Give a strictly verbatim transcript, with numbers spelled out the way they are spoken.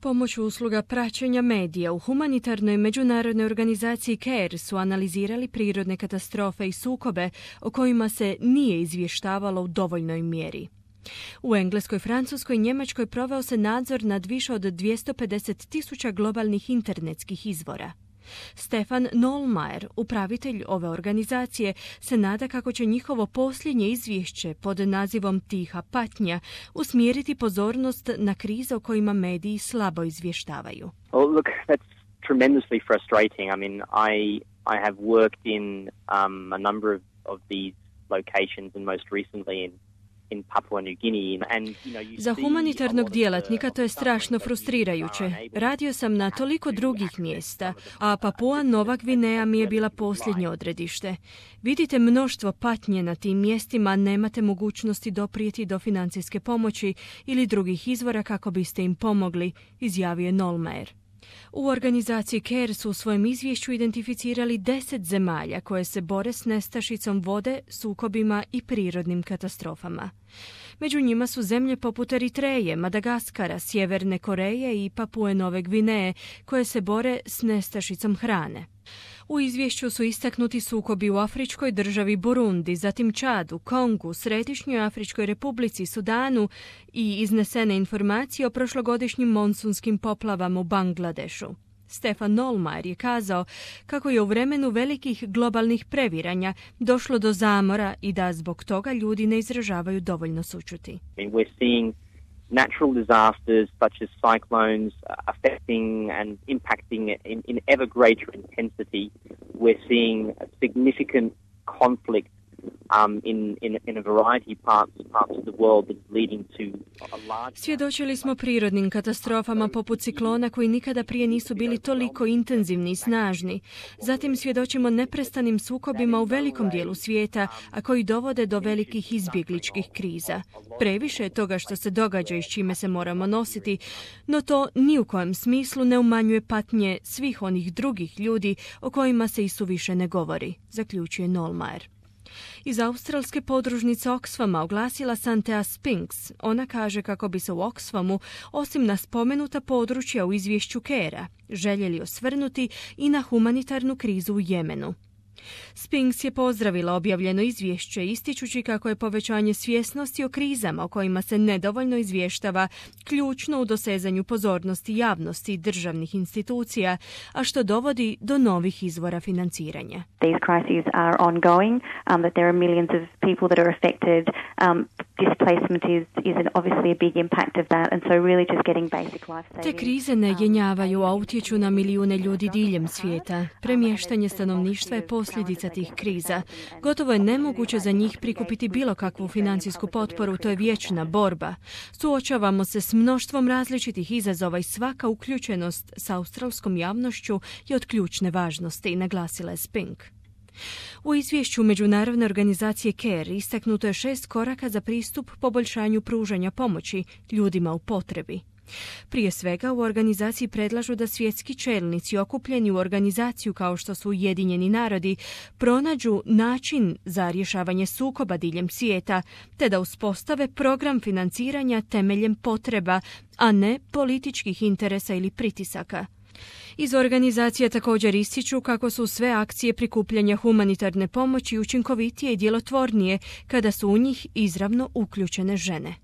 Pomoću usluga praćenja medija u humanitarnoj međunarodnoj organizaciji CARE su analizirali prirodne katastrofe i sukobe o kojima se nije izvještavalo u dovoljnoj mjeri. U Engleskoj, Francuskoj i Njemačkoj proveo se nadzor nad više od dvjesto pedeset tisuća globalnih internetskih izvora. Stefan Nollmeier, upravitelj ove organizacije, se nada kako će njihovo posljednje izvješće pod nazivom Tiha patnja usmjeriti pozornost na krize o kojima mediji slabo izvještavaju. Well, look, that's tremendously frustrating. I mean, I I have worked in um, a number of, of these locations and most recently in in Papua New Guinea and you know you Za humanitarnog djelatnika to je strašno frustrirajuće. Radio sam na toliko drugih mjesta, a Papua Nova Gvineja mi je bila posljednje odredište. Vidite mnoštvo patnje na tim mjestima, nemate mogućnosti doprijeti do financijske pomoći ili drugih izvora kako biste im pomogli, izjavio je Nollmeier. U organizaciji CARE su u svojem izvješću identificirali deset zemalja koje se bore s nestašicom vode, sukobima i prirodnim katastrofama. Među njima su zemlje poput Eritreje, Madagaskara, Sjeverne Koreje i Papue Nove Gvineje koje se bore s nestašicom hrane. U izvješću su istaknuti sukobi u afričkoj državi Burundi, zatim Čadu, Kongu, Središnjoj Afričkoj Republici, Sudanu i iznesene informacije o prošlogodišnjim monsunskim poplavama u Bangladešu. Stefan Nollmeier je kazao kako je u vremenu velikih globalnih previranja došlo do zamora i da zbog toga ljudi ne izražavaju dovoljno sućuti. We're seeing natural disasters such as cyclones affecting and impacting in, in ever greater intensity. We're seeing a significant conflict um, in, in, in a variety of parts, parts of the world that's leading to a large... Svjedočili smo prirodnim katastrofama poput ciklona koji nikada prije nisu bili toliko intenzivni i snažni. Zatim svjedočimo neprestanim sukobima u velikom dijelu svijeta, a koji dovode do velikih izbjegličkih kriza. Previše je toga što se događa i s čime se moramo nositi, no to ni u kojem smislu ne umanjuje patnje svih onih drugih ljudi o kojima se i suviše ne govori, zaključuje Nollmeier. Iz australske podružnice Oxfama oglasila se Antea Spinks. Ona kaže kako bi se u Oxfamu, osim na spomenuta područja u izvješću CARE-a, željeli osvrnuti i na humanitarnu krizu u Jemenu. Spinks je pozdravila objavljeno izvješće, ističući kako je povećanje svjesnosti o krizama o kojima se nedovoljno izvještava ključno u dosezanju pozornosti javnosti i državnih institucija, a što dovodi do novih izvora financiranja. These crises are ongoing, um, that there are millions of people that are affected. Um, displacement is, is an obviously a big impact of that, and so really just getting basic life saving. Te krize ne jenjavaju, a utječu na milijune ljudi diljem svijeta. Premještanje stanovništva je posljedica tih kriza. Gotovo je nemoguće za njih prikupiti bilo kakvu financijsku potporu, to je vječna borba. Suočavamo se s mnoštvom različitih izazova i svaka uključenost s australskom javnošću je od ključne važnosti, naglasila je Spink. U izvješću međunarodne organizacije CARE istaknuto je šest koraka za pristup poboljšanju pružanja pomoći ljudima u potrebi. Prije svega u organizaciji predlažu da svjetski čelnici okupljeni u organizaciju kao što su Ujedinjeni narodi pronađu način za rješavanje sukoba diljem svijeta, te da uspostave program financiranja temeljem potreba, a ne političkih interesa ili pritisaka. Iz organizacije također ističu kako su sve akcije prikupljanja humanitarne pomoći učinkovitije i djelotvornije kada su u njih izravno uključene žene.